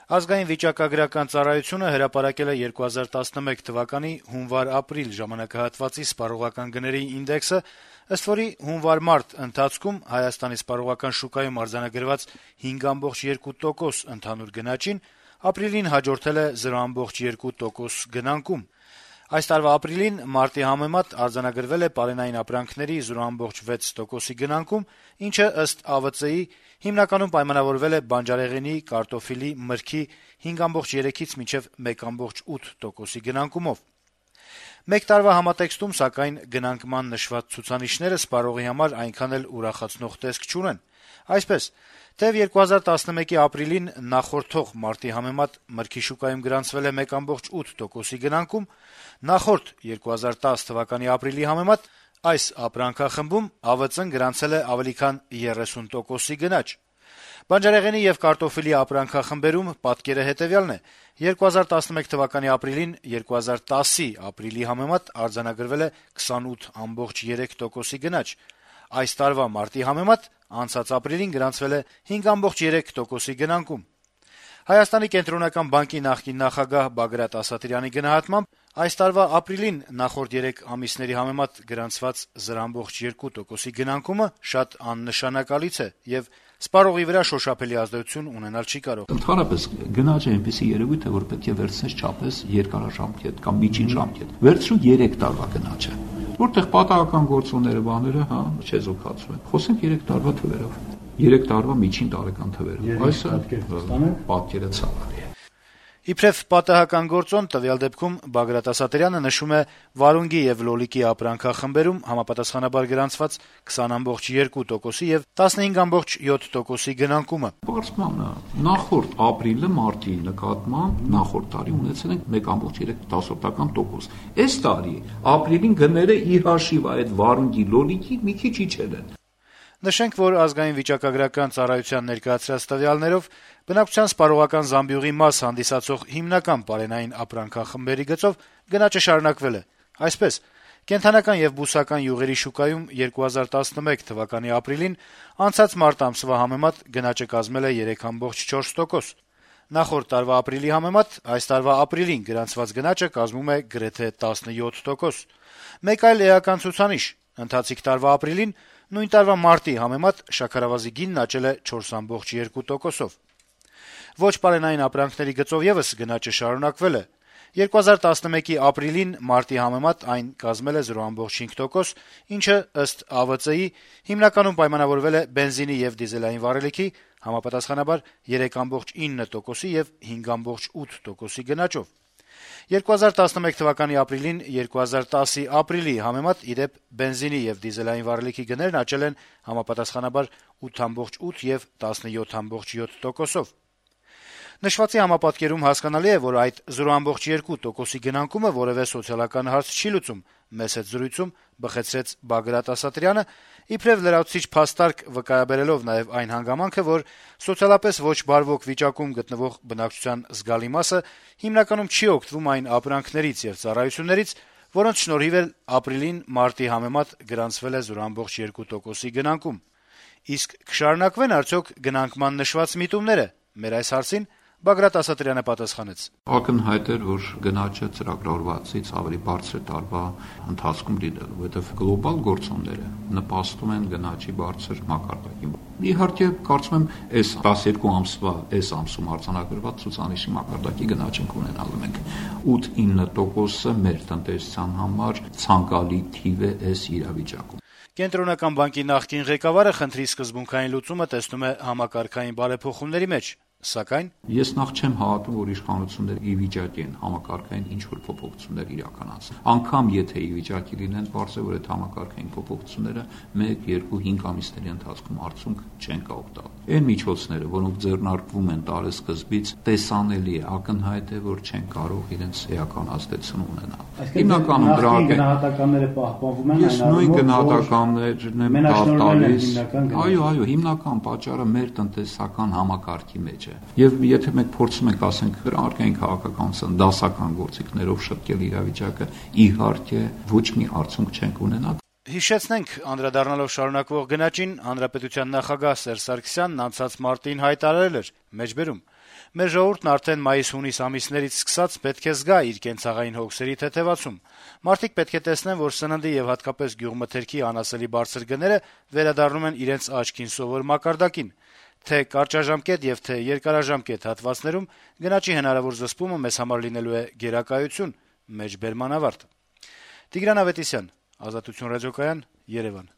Ազգային վիճակագրական ծառայությունը հրապարակել է 2011 թվականի հունվար-ապրիլ ժամանակահատվածի սպառողական գների ինդեքսը, ըստ որի հունվար-մարտ ընթացքում Հայաստանի սպառողական շուկայում արձանագրված 5.2% ընդհանուր գնաճին ապրիլին հաջորդել է 0.2% գնանկում։ Այս տարվա ապրիլին մարտի համեմատ արձանագրվել է պարենային ապրանքների 0.6%-ի գնանկում, ինչը ըստ ԱՎԾ-ի հիմնականում պայմանավորվել է բանջարեղենի, կարտոֆիլի, մրգի 5.3-ից մինչև 1.8%-ի գնանկումով։ Մեկ տարվա համատեքստում, սակայն, գնանկման նշված ցուցանիշները սպառողի համար այնքան էլ ուրախացնող տեսք չունեն։ Այսպես, թեև 2011-ի ապրիլին նախորդող մարտի համեմատ մրգի շուկայում գրանցվել է 1.8%-ի գնանկում, նախորդ 2010 թվականի ապրիլի համեմատ այս ապրանքախմբում ԱՎԾ-ն գրանցել է ավելի քան 30%-ի գնաճ։ Բանջարեղենի եւ կարտոֆիլի ապրանքախմբերում պատկերը հետեւյալն է. 2011 թվականի ապրիլին 2010-ի ապրիլի համեմատ արձանագրվել է 28.3%-ի գնաճ։ Այս տարվա մարտի համեմատ անցած ապրիլին գրանցվել է 5.3%-ի գնանկում։ Հայաստանի կենտրոնական բանկի նախկին նախագահ Բագրատ Ասատրյանի գնահատմամբ այս տարվա ապրիլին նախորդ 3 ամիսների համեմատ գրանցված 0.2%-ի գնանկումը շատ աննշանակալից է եւ սպառողի վրա շոշափելի ազդեցություն ունենալ չի կարող։ Ընդհանրապես գնաճը այնպեսի երևույթ է, որ պետք է վերցնես չափես երկարաժամկետ կամ միջին ժամկետ։ Վերցրու 3 տարվա գնաճը, որտեղ պատահական գործոնները բաները, չեզոքացում են։ Խոսենք 3 տարվա թվերով։ 3 տարվա միջին տարեկան թվերով։ Այս պատկերը ցավալի է։ Իբրև պատահական գործոն տվյալ դեպքում Բագրատ Ասատրյանը նշում է վարունգի եւ լոլիկի ապրանքախմբերում համապատասխանաբար գրանցված 20.2%-ի եւ 15.7%-ի գնանկումը։ Պարզմանը նախորդ ապրիլը մարտի նկատմամբ նախորդ տարի ունեցել ենք 1.3%։ Այս տարի ապրիլին գները ի հաշիվ այդ վարունգի լոլիկի մի քիչ իջել են։ Նշենք, որ ազգային վիճակագրական ծառայության ներկայացրած տվյալներով բնակչության սպառողական զամբյուղի մաս հանդիսացող հիմնական պարենային ապրանքախմբերի գծով գնաճը շարունակվել է։ Այսպես, կենդանական եւ բուսական յուղերի շուկայում 2011 թվականի ապրիլին անցած մարտ ամսվա համեմատ գնաճը կազմել է 3.4%։ Նախորդ տարվա ապրիլի համեմատ այս տարվա ապրիլին գրանցված գնաճը կազմում է գրեթե 17%։ Մեկ այլ էական ցուցանիշ՝ ընթացիկ տարվա ապրիլին նույն տարվա մարտի համեմատ շաքարավազի գինն աճել է 4.2%-ով։ Ոչ պարենային ապրանքների գծով եւս գնաճը շարունակվել է։ 2011-ի ապրիլին մարտի համեմատ այն կազմել է 0.5%, ինչը ըստ ԱՎԾ-ի հիմնականում պայմանավորվել է բենզինի եւ դիզելային վառելիքի համապատասխանաբար 3.9%-ի եւ 5.8%-ի գնաճով։ 2011 թվականի ապրիլին 2010-ի ապրիլի համեմատ իդեպ բենզինի եւ դիզելային վառելիքի գներն աճել են համապատասխանաբար 8.8 եւ 17.7%-ով։ Նշվածի համապատկերում հասկանալի է, որ այդ 0.2%-ի գնանկումը որևէ սոցիալական հարց չի լուծում, մեծ հետ զրույցում բխեցրեց Բագրատ Ասատրյանը, իբրև լրացուցիչ փաստարկ վկայաբերելով նաեւ այն հանգամանքը, որ սոցիալապես ոչ բարվոք վիճակում գտնվող բնակչության զգալի մասը հիմնականում չի օգտվում այն ապրանքներից եւ ծառայություններից, որոնց շնորհիվ էլ ապրիլին մարտի համեմատ գրանցվել է 0.2%-ի գնանկում։ Իսկ կշարունակվեն արդյոք գնանկման նշված միտումները։ Մեր այս հարցին Բագրատ Ասատրյանը պատասխանեց. Ակնհայտ էր, որ գնաճը ծրագրավորվածից ավելի բարձր տարվա ընթացքում լինելու, որովհետև գլոբալ գործոնները նպաստում են գնաճի բարձր մակարդակին։ Իհարկե, կարծում եմ, այս 12 ամսվա այս ամսում արձանագրված ցուցանիշի մակարդակի գնաճ ենք ունենալու մենք 8-9%-ը մեր տնտեսության համար ցանկալի թիվ է այս իրավիճակում։ Կենտրոնական բանկի նախկին ղեկավարը խնդրի սկզբունքային լուծումը տեսնում է համակարգային բարեփոխումների մեջ, սակայն ես նախ չեմ հավատում, որ իշխանությունները ի վիճակի են համակարգային ինչ-որ փոփոխություններ իրականացնել։ Անգամ եթե ի վիճակի լինեն, բարձր որ այդ համակարգային փոփոխությունները 1-2-5 ամիսների ընթացքում արդյունք չեն կարող տալ։ Այն միջոցները, որոնք ձեռնարկվում են տարեսկզբից, տեսանելի է, ակնհայտ է, որ չեն կարող իրենց էական ազդեցություն ունենալ։ Հիմնականում գնահատականները պահպանվում են, այս նույն գնահատականներն են տալիս։ Այո, հիմնական պատճառը մեր տնտեսական համակարգի մեջ է։ Եվ եթե մենք փորձում ենք, ասենք, արկային քաղաքականության դասական գործիքներով շտկել իրավիճակը, իհարկե ոչ մի արդյունք չենք ունենա։ Հիշեցնենք, անդրադառնալով շարունակվող գնաճին, Հանրապետության նախագահ Սերժ Սարգսյանն անցած մարտին հայտարարել էր. «Մեջբերում Մեր ժողովուրդն արդեն մայիս-հունիս ամիսներից սկսած պետք է զգա իր կենցաղային հոգսերի թեթեվացում։ Մարդիկ պետք է տեսնեն, որ սննդի եւ հատկապես գյուղմթերքի անասելի բարձր գները վերադառնում են իրենց աչքին սովոր մակարդակին։ Թե կարճաժամկետ եւ թե երկարաժամկետ հատվածներում գնաճի հնարավոր զսպումը մեզ համար լինելու է գերակայություն։ Մեջբերման ավարտ։ Տիգրան Ավետիսյան, Ազատություն ռադիոկայան, Երևան։